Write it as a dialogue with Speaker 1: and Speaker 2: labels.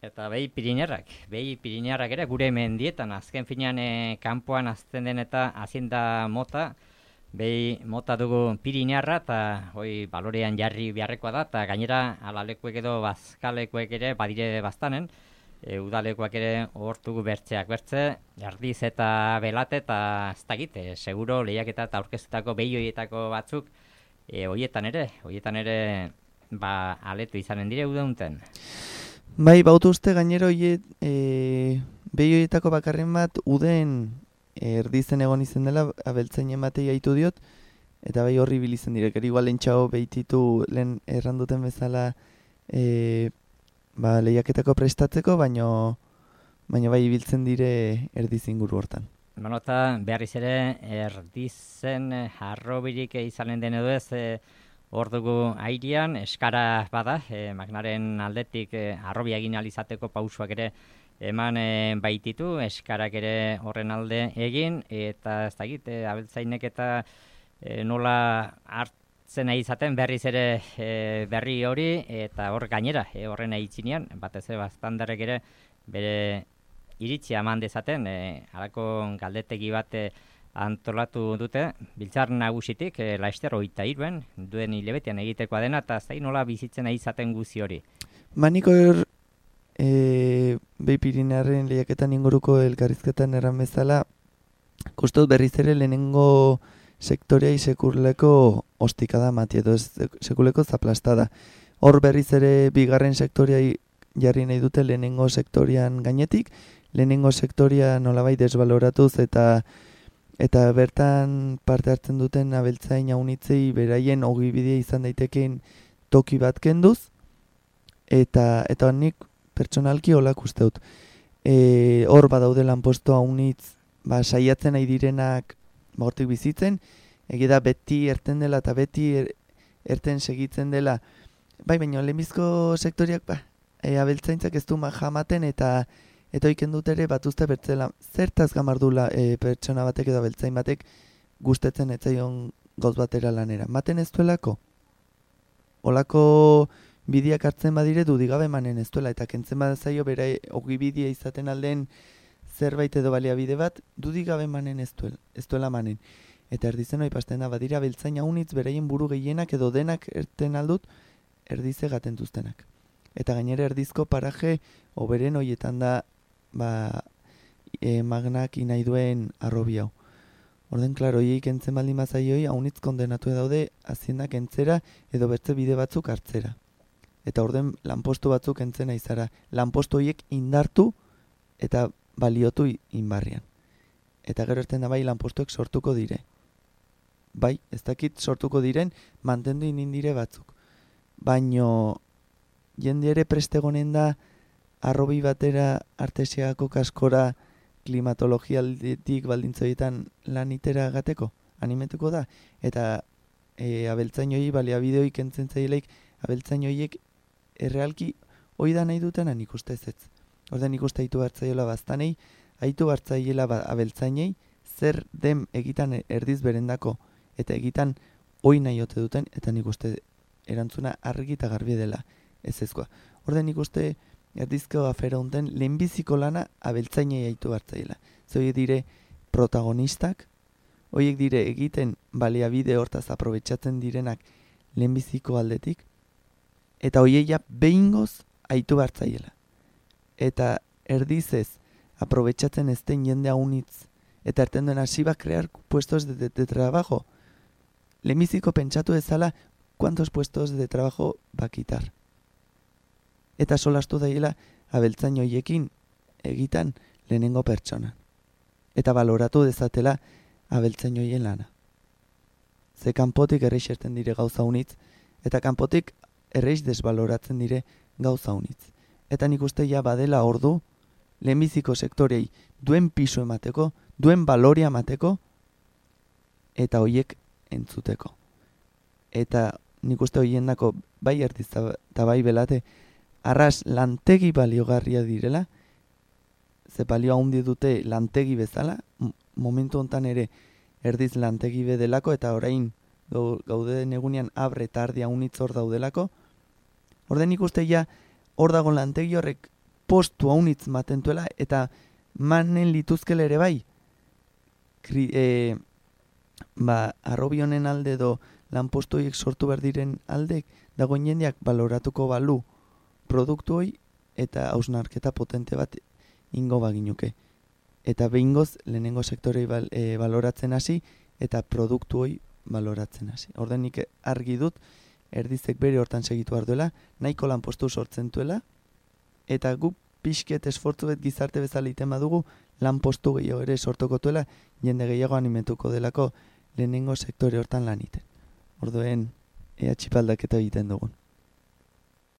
Speaker 1: Eta behi Pirinarrak ere gure mendietan, azken finean kanpoan azten den eta hazienda mota, behi mota dugu Pirinarra eta balorean jarri beharrekoa da, eta gainera alalekuek edo bazkalekuek ere badire baztanen, udalekuak ere hortugu bertze, jardiz eta belate eta ez dakit, seguro lehiaketa eta aurkeztutako behi horietako batzuk, horietan ere, aletu izanen dire udaunten.
Speaker 2: Bai, bautu uste gainero behi horietako bakarren bat uden erdizen egon izen dela, abeltzainen batei haitu diot, eta bai horri bilizen direk, igual lentxago behititu lehen erranduten bezala lehiaketako prestatzeko, baino bai ibiltzen dire erdiz inguru hortan.
Speaker 1: Eta beharriz ere erdizen harrobirik izanen den edo ez, hor dugu airean, eskara bada, Magnaren aldetik harrobia egin alizateko pausuak ere eman baititu, eskarak ere horren alde egin, eta ez dakit, abeltzainek eta nola hartzen nahi izaten berriz ere berri hori, eta hor gainera, horren aitzinean, batez bastandarek ere bere iritzia eman dezaten, halako galdetegi bat antolatu dute, biltzar nagusitik, Laster 23 duen hilebetean egitekoa dena, eta zain nola bizitzen nahi izaten guzi hori.
Speaker 2: Maniko behi Pirinarren lehiaketan inguruko elkarrizketan erran bezala, kustot berriz ere lehenengo sektorea sekuleko ostikada mati, edo sekuleko zaplastada. Hor berriz ere bigarren sektorea jarri nahi dute lehenengo sektorian gainetik, lehenengo sektoria nolabait desbaloratuz eta bertan parte hartzen duten abeltzain jaunitzei beraien ogibidea izan daitekeen toki bat kenduz, eta nik pertsonalki holak usteut. Hor badaude lanposto haunitz, saiatzen nahi direnak hortik bizitzen, egida beti erten dela eta beti erten segitzen dela, baina lehenbizko sektoriak abeltzaintzak ez du jamaten eta oiken dut ere batuzte bertzela zertaz gamardula pertsona batek edo abeltzain batek gustetzen etzaion gauz batera lanera. Maten ez duelako? Olako bideak hartzen badire dudigabe manen ez duela, eta kentzen badazaio bera ogibidea izaten alden zerbait edo baliabide bat, dudigabe manen ez duela manen. Eta erdizen hori pasten da, badira abeltzain haunitz beraien buru gehienak edo denak erten aldut erdize gaten duztenak. Eta gainera erdizko paraje oberen horietan da Magnak inai duen arrobi hau. Orden, klaro, hiek entzen baldin mazaioi, haunitz kondenatu daude haziendak entzera edo bertze bide batzuk hartzera. Eta orden, lanpostu batzuk entzena izara. Lanpostu horiek indartu eta baliotu inbarrian. Eta gero erten da lanpostuek sortuko dire. Bai, ez dakit sortuko diren, mantendu indire batzuk. Baino, jende ere prestegonen da arrobi batera artesiako kaskora klimatologialditik baldintzoietan lanitera gateko, animetuko da. Eta abeltzain hori baliabideoik entzen zaileik, abeltzain horiek errealki hoi da nahi dutena nik uste ez. Orden nik uste haitu hartzaiola baztanei, haitu hartzaiola abeltzainei, zer dem egitan erdiz berendako, eta egitan hoi nahi ote duten, eta nik uste erantzuna argi eta garbi dela ez ezkoa. Orden nik uste erdizko afera unten lehenbiziko lana abeltzainei haitu hartzaiola. Horiek dire protagonistak, horiek dire egiten baliabide hortaz aprobetxatzen direnak lehenbiziko aldetik, eta horiek ja behingoz haitu hartzaiola. Eta erdizez aprobetxatzen ez den jende haunitz, eta erten duen hasi bat krear puestos de trabajo. Lehenbiziko pentsatu ezala kuantos puestos de trabajo bakitar. Eta solastu daiela abeltzain hoiekin egitan lehenengo pertsona. Eta baloratu dezatela abeltzain hoien lana. Ze kanpotik erreix erten dire gauza unitz, eta kanpotik erreix desbaloratzen dire gauza unitz. Eta nik uste ja badela ordu, lehenbiziko sektorei duen pisu emateko, duen baloria emateko, eta hoiek entzuteko. Eta nik uste hoiendako bai erdiz eta bai belate, arras lantegi baliogarria direla, ze balio handi dute lantegi bezala, momentu hontan ere erdiz lantegi bedelako, eta orain gaude egunean abre eta ardia unitz hor daudelako, orden ikuste ja hor dago lantegi horrek postu haunitz matentuela, eta manen lituzkele ere bai, arrobi honen alde do lanpostu horiek sortu behar diren aldek, dagoen jendeak baloratuko balu produktu hoi, eta hausnarketa potente bat ingo baginuke. Eta behingoz, lehenengo sektorei baloratzen hasi, eta produktu hoi baloratzen hasi. Orden nik argi dut, erdizek bere hortan segitu behar duela, nahiko lanpostu sortzen duela, eta gu pixket esfortzu bet gizarte bezala iten badugu, lanpostu gehiago ere sortuko duela, jende gehiago animetuko delako lehenengo sektore hortan lan iten. Orduen, ea txipaldaketa egiten dugun.